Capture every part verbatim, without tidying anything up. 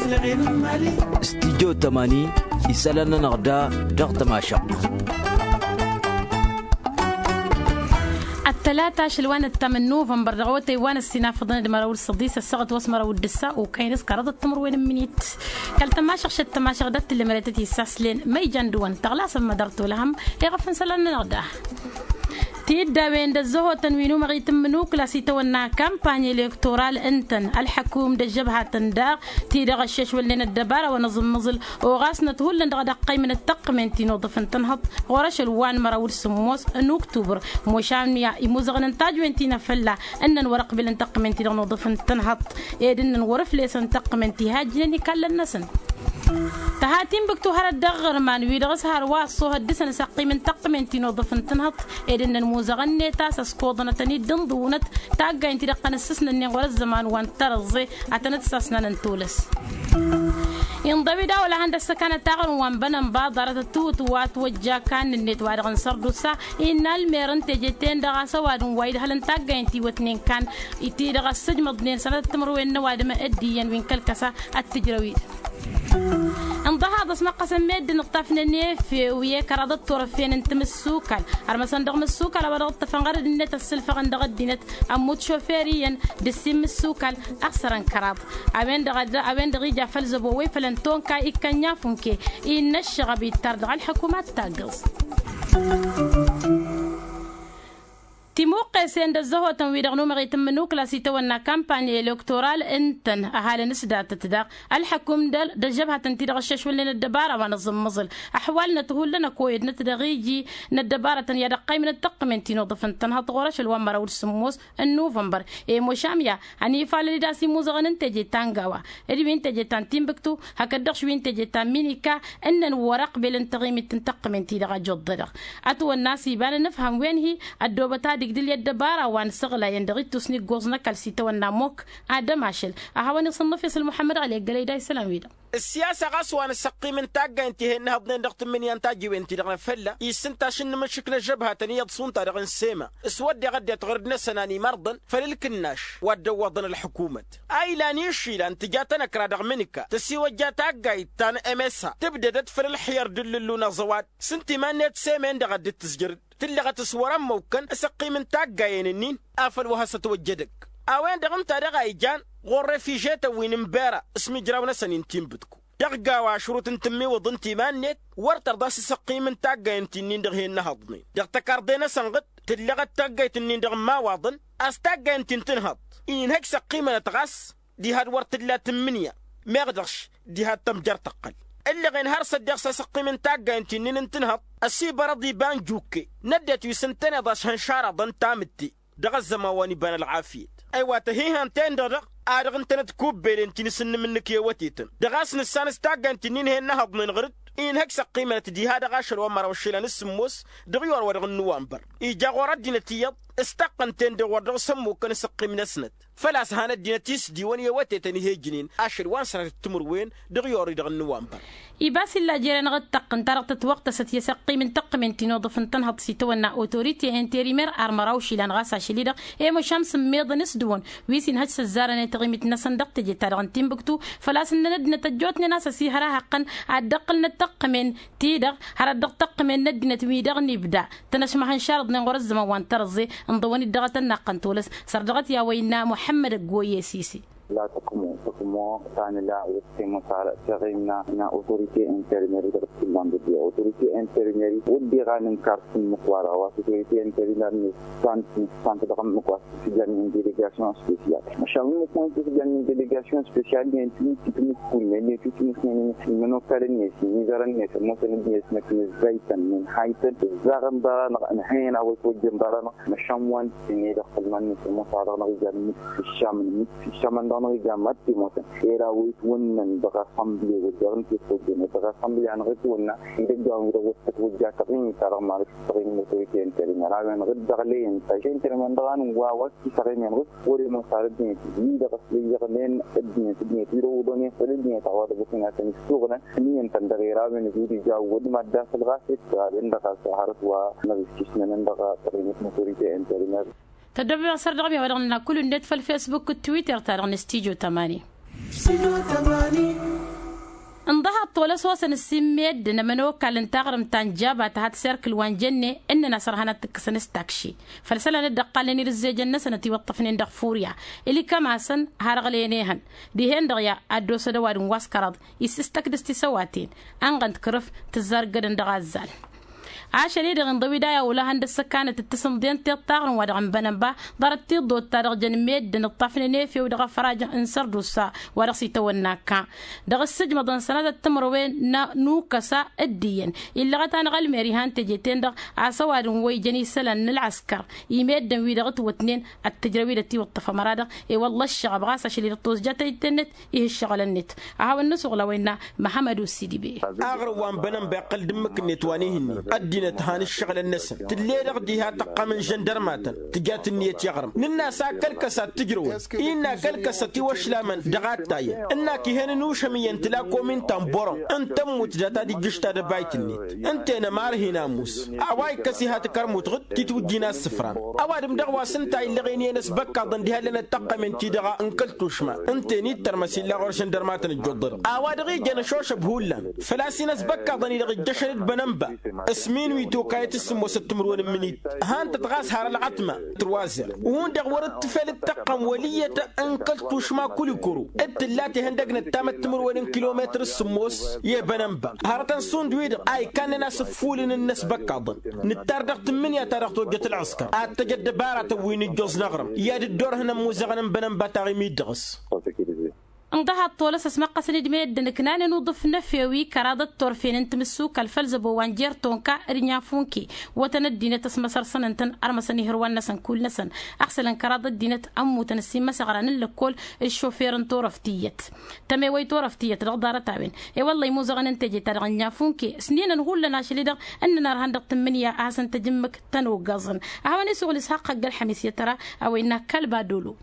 Studyo tămani isălan-nănăɣ da dăɣ-tămašăɣt. Ăttălata ašăl wa n-ăttam n-nuvănbăr dăɣ-awătay wa n-ăssinafăḍăn d-măraw d-săḍis ăssaɣăt wa s-măraw d-ǝssa okăyăn s-kăraḍăt timǝrwen n-imǝnit. Kăl-tămašăɣt šăt tămašăɣt d-ăttǝllămăretăt isaslen ma ijan dăɣ-wăn tăɣlasăn mădăr tolăhăm. Iɣăf n-isălan-nănăɣ da tiddawen d-ăzzăhotăn wi n-umăɣit n-imǝnukla s-itawănna kampany elektoral ǝntăn ălḥăkum d-ăžžăbhatăn daɣ ti-dăɣ ăššešwălnen ăddăbara wa n-aẓǝmmăẓǝl oɣasnăt hullan dăɣ-ad-ăqqăymǝnăt tăqqǝmen ti n-uḍǝf n-tănhăḍt ɣur-ašăl wa n-măraw d-sǝmmos n-uktubăr. Mošan ya imuzăɣăn n-tajwen ti n-afălla ǝnnăn wăr-ăqbǝlăn tăqqǝmen ti-dăɣ n-uḍǝf n-tănhăḍt ed ǝnnăn wăr-ǝflesăn tăqqǝmen ti hajjnen ikallăn-năsăn. Tăha tinbǝktu hărăt dăɣ-iɣărman wi-dăɣ s-hărwa ăṣṣohăt dăɣ-săn s-ăqqimǝn tăqqǝmen ti n-uḍǝf n-tănhăḍt ed ǝnnăn muzăɣăn-net a-s ăskoḍănătăn-dd ǝnḍǝwǝnăt taggayen ti-dăɣ tăn-ǝssǝsnănnen ɣur-ăzzăman wa n-tărăẓẓe ad-tăn-dd-sasnanăn tolăs. Inḍăw-dd a-wa lahăn d-ăssăkanăt aɣrǝm wa n-bănănba ḍarăt ăttiwǝt wa ătwăjja kannǝn-net wa dăɣ-n sărdusa innă ălmer n-teje-ten-dăɣ a-s ăwadǝm wa idhălăn taggayen ti iwătnen kann ti-dăɣ ăssǝjmăḍnen sănatăt timǝrwen n-ăwadǝm d-iyyăn wi n-kăl-kăsa ăttǝjrăw-dd. Ǝnḍăhaḍ ăsmăqqăsăn meddǝn ǝṭṭafnen efew i-kăraḍăt turăfen n-timǝssukal ărmăsăn dăɣ-imǝssukal a-wa dăɣ-ǝṭṭăfăn ɣărăd-net ăssǝlfăɣăn dăɣ-ăddinăt ămmut šofer iyyăn d-ǝssin imǝssukal. Ăɣsărăn kăraḍ a-wen-dăɣ a-wen-dăɣ ija făll-zăbo wa ifălăn tonka ikkănnya funke innă ǝššăɣăb ittar dăɣ-ălḥăkum ad-taggăẓ. Timuqqesen d-ăzzăhotăn-wi-dăɣ n-umăɣit n-imǝnukla s-itawănna kampany elektoral ǝntăn ăhalăn s-datăt daɣ ălḥăkum d-ăžžăbhatăn-ti-dăɣ ăššešwălnen ăddăbara wa n-aẓǝmmăẓǝl ăḥwalnăt hullan-ăkoyădnăt dăɣ-iji n-ăddăbarătăn i-ad-ăqqăymǝnăt tăqqǝmen ti n-uḍǝf n-tănhăḍt ɣur-ašăl wa n-măraw d-sǝmmos n-nuvănbăr. I-mošam ya ănifalăl-dd a-s imuzăɣăn n-teje ta n-gawa d-wi n-teje ta n-tinbǝktu hakd-dăɣ š-wi n-teje ta n-minika ǝnnăn wăr-ăqbelăn taɣimit n-tăqqǝmen-ti-dăɣ ăjoḍḍădăɣ. Ătwănna a-s iba n-anǝfham wen-hi ăddoobăt ad-igdǝl i-ăddăbara wa n-isăɣlayăn dăɣ-ittus n-iggoẓ n-ăkall s-itawănna mok ad-ămašăl. A hawăn-iṣǝnnǝf isǝl muḥămmăd ɣali ăggălăy da isălan-wi-dăɣ. Ǝssiyasa ɣas wa n-asăqqim n-taggayen ti he-ǝnnăhăḍnen dăɣ-tǝmmǝnǝya n-tajǝwen-ti-dăɣ n-afălla issǝnta ašǝnnǝmǝššǝk n-ăžžăbhatăn iyyăḍ s-unta-dăɣ n-sema s-wădden ăddinăt ɣur-dd-năsăn a n-imărḍăn făll-ǝlkǝnnaš wa dd-ăwwăḍăn ălḥǝkumăt. A ilan išilăn tǝja tanăkra dăɣ-mǝnǝka tăsiwăjja taggayt ta n-emesa tǝbdădăt făll-ǝlxǝyăr d-ǝllǝllu n-aẓăwad s-ǝnta iman-net sema-en-dăɣ a dd-tǝzjăr-dd tǝllăɣăt s-wăr-ămmăwkăn asăqqim n-taggayen-ǝnnin. Afăl wa has-ătwăjja edăgg a-wen-dăɣ ǝnta daɣ a ijan ɣur-refižetăn wi n-ǝnbera s-imǝjraw-năsăn i n-tinbǝtku dăɣ-gawa ašrut n-tǝmmiwǝḍ ǝnta iman-net wăr tărḍa s-asăqqim n-taggayen ti-nin dăɣ-he-ǝnnăhăḍnen dăɣ-tăkarḍe-năsăn ɣǝd. Tǝllăɣăt taggayt-nin dăɣ-imawaḍăn a-s taggayen ti n-tǝnhăḍt inhăj s-ăqqimănăt ɣas diha d-wăr tǝlla tǝmmǝnǝya meɣ dăɣ-š diha d-tămjăr tăqqăl. Ǝllăɣen har s-ăddeɣ s-asăqqim n-taggayen ti-nin n-tǝnhăḍt ăsibărăḍ iba n-jukke n-ăddinăt wi s-ǝntăneḍ ašhăn šaraḍăn tamǝtte. Dăɣ-ăzzăman wa n-iba n-ălɣafyăt ăywa tăhihăn-ten-dăɣ dăɣ-a-dăɣ ǝntănăt kubbelen ti n-asǝnnǝm-nǝk i-awătetăn dăɣ-a-s nǝssan s-taggayen ti n-inhăyăn n-ahăḍnen ɣǝr-dd inhăj s-ăqqimănăt diha dăɣ-ašăl wa n-măraw ǝššǝlăn s-sǝmmos dăɣ-iwar wa dăɣ-n-nuwanbăr. Ija ɣur-ăddinăt iyyăḍ s-taqqăn-ten-dăɣ wăr dăɣ-s ămmukkăn asăqqim-năsnăt făl-a-s han ăddinăt isdiwăn i-awătetăn ih'-ejnen ašăl wa n-sănatăt timǝrwen dăɣ-iwar-i-dăɣ n-nuwanbăr. Iba s-illa jer-enăɣ d-taqqǝnt-ta-dăɣ tătwăɣtăsăt i-asăqqim n-tăqqǝmen ti n-uḍǝf n-tănhăḍt s-itawănna otorite interimer ar măraw išilan ɣas ašăl-i-dăɣ i-măšan s-ǝmmeḍăn s-dăwăn wi s-inhăj s-ăzzarăn i-taɣimit-năsăn dăɣ-teje-ta-dăɣ n-tinbǝktu. Făl-a-s ǝnnăn ăddinăt ăjjootnen a-s ăsihăr ahăqqăn ad-dd-ăqqǝlnăt tăqqǝmen-ti-dăɣ hărăt dăɣ-tăqqǝmen n-ăddinăt wi dăɣ-nibda tăn-ăšmăhăn šarăḍnen ɣur-ăzzăman wa n-tărăẓẓe. Ǝnḍăwăn-dd dăɣ-tănnaqqăn tolăs săr dăɣ-t i-a-wa innă muḥămmăd ăggoyye sisi. La tăqmo tăqmo ta nǝla wăr-tămosarăt taɣimna n-autorite interimer dăɣ-t tǝllan dăɣ-autorite interimer wădden ɣa nǝnkar s-ǝmmǝk-wa-dăɣ wa s-autorite interimer nǝssan nǝssan dăɣ-ǝmmǝk wa s-tǝjăn n-delegasyon spesyal. Măšan ǝmmǝk wa n-tǝjăn n-delegasyon spesyal nen tǝmǝk tǝmǝk kull nen nen tǝmǝk nen imănokalăn-net imizărăn-net ămoosăn ăddinăt năkk nǝzzaytăn nǝnhaytăn ǝzzaɣăn ḍarănăɣ ǝnhăyăn a-wa itwăjjăn ḍarănăɣ. Măšan wa n-tǝnne dăɣ-tălman-net ămoos-a-dăɣ năɣ ijan ǝmmǝk ǝššamăn ǝmmǝk ǝššamăn-dăɣ năɣ ijan mad-timotăn era a-wa itwănnăn dăɣ-asănble wădden ǝnta itwăjjăn dăɣ-asănble-anăɣ itwănna idăgg a-wen-dăɣ wăr tătwăjja taɣimit-ta-dăɣ marăt taɣimit n-autorite interimer a-wen-dăɣ dd-ăɣleyăn taža interimer dăɣ-anǝnwa wa s-isaɣ i-menɣǝs wăr-ămoos ar ăddinăt wi-dăɣ ăslăyyăɣnen ăddinăt ăddinăt wi-dăɣ uḍănen făll-ăddinăt a-wa dăɣ-ăsnatăn issuɣnăn ǝnniyăn-tăn dăɣ-era a-wen-dăɣ wi d-ija wădmad d-asăl ɣas dd-ɣawen dăɣ-a-s hărăt wa năɣ-issisnănăn dăɣ-taɣimăt n-autorite interimer. Tăddoobem asăr dăɣ-mi a-wa dăɣ-nǝnna kull-net făll-fesbuk d-twitter-ta-dăɣ n-studyo tămani. N-dăhaḍ tolăs osăn ǝssin meddǝn ămănokal n-taɣrǝmt ta n-jaba tăha tiserkǝl wa n-jenne ǝnnăn a-s ărhan ad-t-ǝkkǝsăn s-takši făll-isălan dd-ăqqalnen irǝzzejăn-năsăn ătiwăṭṭăfnen dăɣ-furya. Ǝlikăm-asăn har ăɣlăyăn ehăn dihen-dăɣ ya ad-dd-osăd ăwadǝm wa s-kăraḍ issǝstăkdǝs tisăwaten ănɣăn d-kărǝf tǝzzar ǝggădăn dăɣ-azzal. Ašăl-i-dăɣ inḍăw-dd a i-awǝlăhăn d-ăssăkanăt d-tisǝnḍen tiṭṭaɣrǝm wa dăɣ-ǝnbănăn ba ḍarăt tiḍot-ta-dăɣ jăn meddǝn ǝṭṭafnen efew dăɣ-afraj n-sărdusa wa dăɣ-s itawănna akka dăɣ-ǝssǝjmăḍăn sănatăt timǝrwen n-ukăsa. Dd-iyyăn illăɣăt-anăɣ ălmer ihan teje-ten-dăɣ a-s ăwadǝm wa ijăn isălan n-ălɣăskăr i-meddǝn-wi-dăɣ ǝtwătnen ăttǝjrăw-dd ătiwǝṭṭăf ămăra-dăɣ. I-wălla ăššăɣăb ɣas ašăl-i-dăɣ tozjăt ăyy tennăt ih' ǝššăɣǝl-net. Ad-hawăn-nǝsuɣǝl a-wa innă măhămăd osidi be. Aɣrǝm wa n-bănănba iqqăl d-ǝmmǝk-net wa n-ihǝnnin ăddinăt han ǝššăɣǝlăn-năsăn tǝll'-e-dăɣ diha tăqqam n-žăndărmatăn. Tǝjat ǝnniyăt i-aɣrǝm nǝnn'-as a kăl-kăsa d-tǝjrăwăn-i innă a kăl-kăsa tiwăšlamăn dăɣ-ad-tayăn ǝnn'-ak ih'-en ănušăm iyyăn tǝla komin ta n-bărăm n-tămmut data d-ijjǝš tadăbayt-net. Ǝnta-en ămarhin amus a-wa ikkăs iha tǝkărmut ɣǝd titwǝjjin a ǝssǝfran. Ăwadǝm-dăɣ wa s-ǝnta illăɣen iyyăn ăsbăkkaḍăn diha ǝllănăt tăqqămen-ti-dăɣ n-kăl-tušma ǝnta-en ittărmăs illa ɣur-žăndărmatăn ăjjoḍădăɣ a-wa dăɣ-ijăn ăšošăb hullan făl-a-s inăsbăkkaḍăn-i-dăɣ ijjăšăn d-bănănba. S-min wi tokayăt s-sǝmmosăt timǝrwen n-imǝnit. Han-tăt ɣas har ălɣătma turwazer. Hundăɣ wăr-dd-tǝfel d-tăqqăm wăl' iyyăt n-kăl-tušma kulikuru d-tǝllat ihăndăg nǝttamăt timǝrwen n-kilometăr s-sǝmmos i-bănănba. Hărătăn šund-wi-dăɣ a ikkannen a-s ǝffulǝn n-inăsbăkkaḍăn. Nǝttar dăɣ-tǝmmǝnǝya ta dăɣ-tojjăt ălɣăskăr ad-tăj ăddăbaratăn wi n-ǝjjoẓ n-aɣrǝm i-ad-dd-orhǝn ămmuzăɣăn n-bănănba taɣimit dăɣ-s. N-dăhaḍ tolăs ăsmăqqăsăn-dd meddǝn ǝknanen uḍǝf n-efewi kăraḍăt turfen n-timǝssukal făll-zăbo wa n-jer-tonka d-inyafunke. Wătăn ăddinăt ăsmăsărsăn ǝntăn ărmăsăn ihǝrwan-năsăn kull-năsăn. Ăɣsălăn kăraḍ ăddinăt ămmutăn ǝssin imăsăɣran n-lăkkol d-šofer n-turăft tiyyăt. Tămewăy turăft tiyyăt dăɣ-ḍarăt-a-wen. I-wălla imuzăɣăn n-teje-ta-dăɣ n-inyafunke s-ninăn hullan ašăl-i-dăɣ ǝnnăn ărhan dăɣ-tǝmmǝnǝya a hasăn-tăj ǝmmǝk tăn-oggăẓăn. A hawăn-isuɣǝl ishaqq ăgg-ălxămis i-tăra a-wa innă kălba dolo.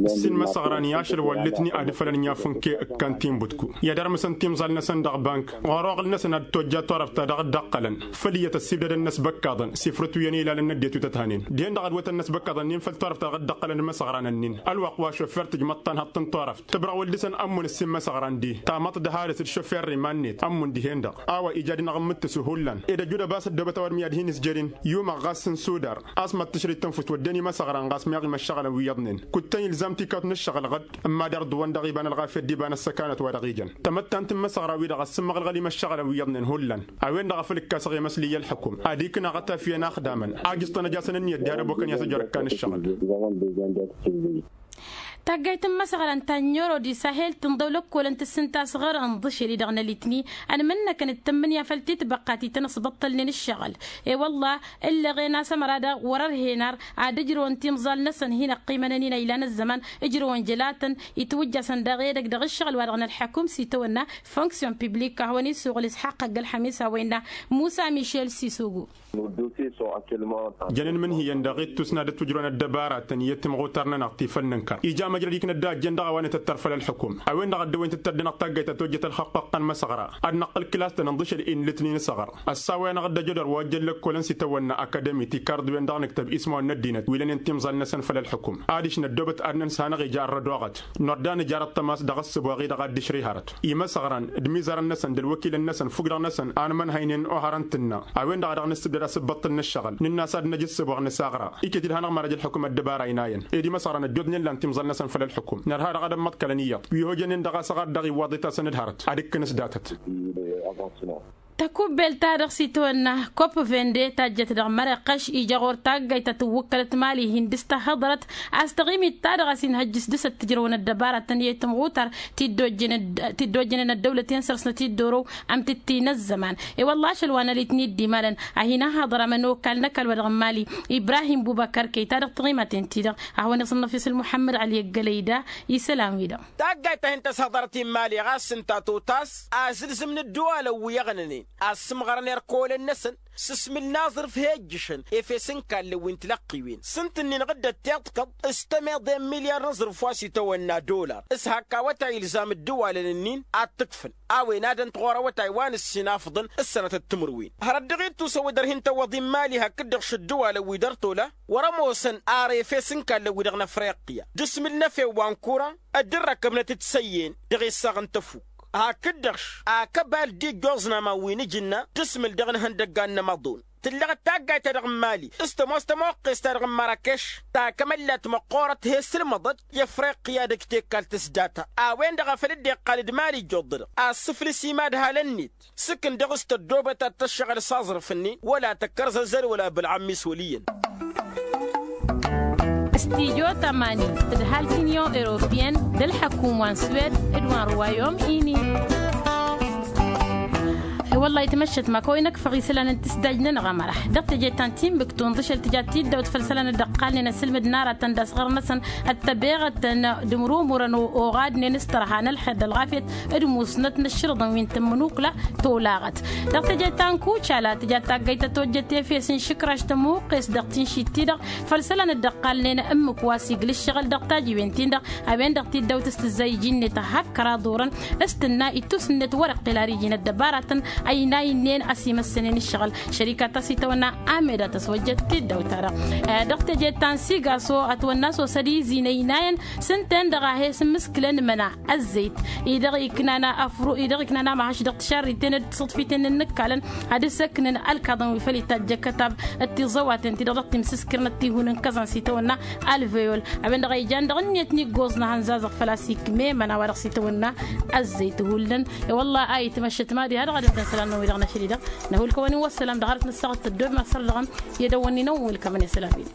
Ǝssin imăsăɣran i-ašăl wa ǝllǝtni ad-ǝfălăn inyafunke ǝkkan tinbǝtku i-ad-ărmǝsăn timẓal-năsăn dăɣ-bank ɣur-oɣǝl-năsăn ad-tojja turăft ta dăɣ-dd-ăqqălăn. Făl iyyăt ăssibdădăn inăsbăkkaḍăn sifrǝt wi ănilal n-ăddinăt wi tăt-hanen dihen-dăɣ ad-wătăn inăsbăkkaḍăn-nin făll-turăft ta dăɣ-dd-ăqqălăn imăsăɣran-nin ălwăqq wa šoffer tǝjmăḍ-tanhăḍt n-turăft tǝbrăɣ wăl dăɣ-săn ămmun ǝssin imăsăɣran-di. Tamăḍt d-harǝs d-šoffer iman-net ămmun dihen-dăɣ a-wa ija ad-inăɣ ǝmmǝttǝsu hullan ed ăjud ăbas ăddoobăt ăwadǝm i-ad-hin-ǝzjărin. Yumăɣ ɣas n-sudar a-s mad-tǝšrǝj tănfust wădden imăsăɣran ɣas meɣ imăššăɣălăn wi iyyăḍnen. Kud-tăn ilzam tikkawt n-ǝššăɣǝl ɣǝd ǝmma dar-dd-wăn dăɣ-iba n-ălɣafyăt d-iba n-ăssăkanăt wa dăɣ-ijăn. Tamăttant n-imăsăɣra-wi-dăɣ ăssǝmmăɣ ălɣăl imăššăɣălăn wi iyyăḍnen hullan. A-wen-dăɣ a făl ǝkkasăɣ i-măslǝy i-ălḥukum ad-iknăɣ ătafyăn axdamăn a ǝjǝẓtăn ăj'-asăn ǝnniyăt diha d-ăbokăn i-ad-tăjor ǝkkan ǝššăɣǝl. Taggayt n-imăsăɣran ta n-oro d-isahel tǝnḍăw lăkkolăn tǝssǝntas ɣărăn d-ašăl-i-dăɣ n-alitni ănmǝnnăkăn d-tǝmmǝnǝya făll-titbăqqa ti tăn-ăṣbăṭṭălnen ǝššăɣǝl. I-wălla ǝllăɣen a-s ămăra daɣ wăr-ărhen ar ad-ǝjrăwăn timẓal-năsăn hin-ăqqimănăn-in a ilan ăzzăman. Ǝjrăwăn jălatăn itwǝjjasăn daɣ edăgg dăɣ-ǝššăɣǝl-wa-dăɣ n-ălḥăkum s-itawănna fonksyon piblik a hawăn-isuɣǝl isxaqq ăgg-ălxămis a-wa innă musa mišel sisugu. Jăn ǝnmǝnhǝyăn dăɣ-ittus n-ad-ătwǝjrăwăn ăddăbaratăn i-timɣutar-nănăɣ ti făll-nǝnkăr ija măjrăd iknă dd-a ăjjeen dăɣ-a-wa nǝtǝttăr făll-ălxukum. A-wen-dăɣ ăddăwăyăn tǝttăr dăɣ-năɣ taggayt ta tojjăt ălxăqqăqqăn măsăɣra ad-năqqǝl kǝlas-tăn ǝnḍǝšăl-in lǝtnin s-aɣăr. Ăssawăyăn-aɣ dd-ăjădor wa ăjjăn lăkkolăn s-itawănna akademi ti karḍǝwen dăɣ-nǝktăb ismawăn n-ăddinăt wi lănen timẓal-năsăn făll-ălxukum. Adiš năddoobăt ad-năn-s hanăɣ-ija ărrăd oɣăt. Nordăn ǝjarăt tămas dăɣ-ăssǝboɣ-i-dăɣ ad-dd-išrǝy hărăt imăsăɣran d-imizarăn-năsăn d-ălwăkilăn-năsăn fukk-dăɣ-năsăn a nǝmănhăynen ohărăn tǝnna. A-wen-dăɣ a dăɣ-nǝssǝbdăd asǝbbăṭṭǝl n-ǝššăɣǝl nǝnn'-as ad-năj ǝssǝboɣ nǝsaɣra iket-dd hanăɣ-mărăj ălxukum ăddăbara inayăn. Ed imăsăɣran ăjjootnen lan timẓal-năsăn făll-ălxukum nărha dăɣ-ad-ămmăḍkălăn iyyăḍ wi ăhojănen dăɣ-a-s ăɣar dăɣ-iwwaḍ-i tasăn d-hărăt ad-ikkǝn s-datăt. Takubbelt-ta-dăɣ s-itawănna kopp vende tajjăt dăɣ-mărăqqăš ija ɣur-taggayt ta tǝwwǝkkălăt mali hin-dăɣ-s tăhhăḍărăt a-s taɣimit-ta-dăɣ a-s inhăjjǝs dăɣ-s ăttǝjrăwăn ăddăbaratăn i-tǝmɣutar ti dd-ojjănăt dăwlăten săr-snăt i-dd-orow. Ămtǝttǝy n-ăzzăman i-wălla ašăl wa n-alitni dd-imalăn a hin-ăhhăḍăr amănokal n-ăkall wa dăɣ-n mali ibrahim bubăkăr kăy-ta-dăɣ taɣimaten-ti-dăɣ. A hawăn-iẓǝnnăf isǝl muḥămmăd ăli ăggălăy da isălan-wi-dăɣ. Taggayt ta hin-tăshăḍărăt i-n mali ɣas ǝnta totas azǝlzǝm n-ădduwalăn wi ăɣnănen A ăssǝmɣărăn irkăwălăn-năsăn s-asmǝl n-aẓrǝf he-ǝjjǝšăn efes n-ikallăn wi n-tilăqqiwen s-ǝnta-ǝnnin ɣǝddăt tiḍkăḍ s-tămeḍe n-milyar n-aẓrǝf wa s-itawănna dolar s-hak awătay ilzam ǝddǝwalăn-ǝnnin ad-t-ǝkfǝl a-wen ad-ănt ɣur-awătay wa n-ǝssin afǝḍăn s-sănătăt timǝrwen. Hărăt dăɣ-ittusăn wi dăr-hin-tăwwăḍ i n-imali hakd-dăɣ šăddǝwalăn wi dăr-tola wăr-ămoosăn ar efes n-ikallăn wi dăɣ-năfriqya d-asmǝl n-efew wa n-kura dd-ărrăkăbnăt d-isăyyen dăɣ-issaɣ n-tăfuk. Hakd-dăɣ-š akăbal dd-ijjoẓ n-aman wi n-ajǝnna d-asmǝl dăɣ-inhăndăggan n-amăḍon tǝllăɣăt taggayt-ta-dăɣ n-imali s-tămoos tămoqqes-ta-dăɣ n-mărakeš takămăllat măqqoorăt he-sǝlmăḍăt i-afriqya dăgg-tekkalt s-data. A-wen-dăɣ a făl dd-iqqal d-imali ijjoḍ-dăɣ a ăssǝflǝs imadhalăn-net s-ǝkǝn dăɣ-s tăddoobăt ad-tăššăɣǝl s-aẓrǝf-ǝnnin wăla tăkkărzăzăl wăla bălɣămmis wăl' iyyăn. Studyo tămani d-ǝdhal tinyon europiyăn d-ălḥăkum wa n-swed d-wa n-ruwayom ini. Wăllah itmăššăt ma kăwăy năkfăɣ isălan n-tisdaj-nănăɣ ămăraḥ dăɣ-teje ta n-tinbǝktu ǝnḍǝšăl tǝja tiddaw tǝfăl isălan dd-ăqqalnen asǝlmǝd n-aratăn d-asɣăr-năsăn ăttăbeɣătăn d-imrumurăn oɣadnen s-tărha n-ălxer d-ălɣafyăt d-musnăt n-ǝššǝrǝḍăn wi n-tǝmmǝnukla tolaɣăt. Dăɣ-teje ta n-kucala tǝja taggayt tătojjăt efes n-išǝkraš tămuqqes dăɣ-tinšit-ti-dăɣ făll-isălan dd-ăqqalnen ǝmmǝk wa s-iglǝššăɣǝl dăɣ-tajiwen-tin-dăɣ a-wen-dăɣ tiddawt s-tǝzzay iji-net a hak kăraḍ orăn s-tǝnna ittus-net wăr-iqqǝl ar iji n-ăddăbaratăn ăynay-nen a-s imăssănen ǝššăɣǝl. Šărikat ta s-itawănna ameda tăswăjjăt tiddawt-ta-dăɣ dăɣ-teje ta n-sigaso ătwănna s-osăd izi n-ăynayăn s-ǝnta-en-dăɣ a he-s-ǝmmǝskǝlăn măna ăzzăyt-i-dăɣ iknan afru-i-dăɣ iknan amăhăš dăɣ-tišarriten d-tiṣǝḍfiten n-inǝkkalăn ad-ǝssăknăn ălkaḍăn wi făl itajj ăkkătab d-tiẓăwaten-ti-dăɣ dăɣ-timsǝskǝrnăt tihun n-kăẓăn s-itawănna alveyol a-wen-dăɣ a ijan dăɣ-ǝnniyăt n-iggoẓ n-ehăn zazăɣ făl-a-s ikme măna wa dăɣ-s itawănna ăzzăyt hullan. I-wălla a itmăššăt mad-iha dăɣ-ad-ǝntăn isălan-năwăn wi-dăɣ n-ašăl-i-dăɣ năhull kăwăn-in wăsselam dăɣ-arăt nǝssaɣăt tăddoobem asăr dăɣ-ămm i-ad-ăwwănnin ăwwăl kămăn isălan-wi-dăɣ.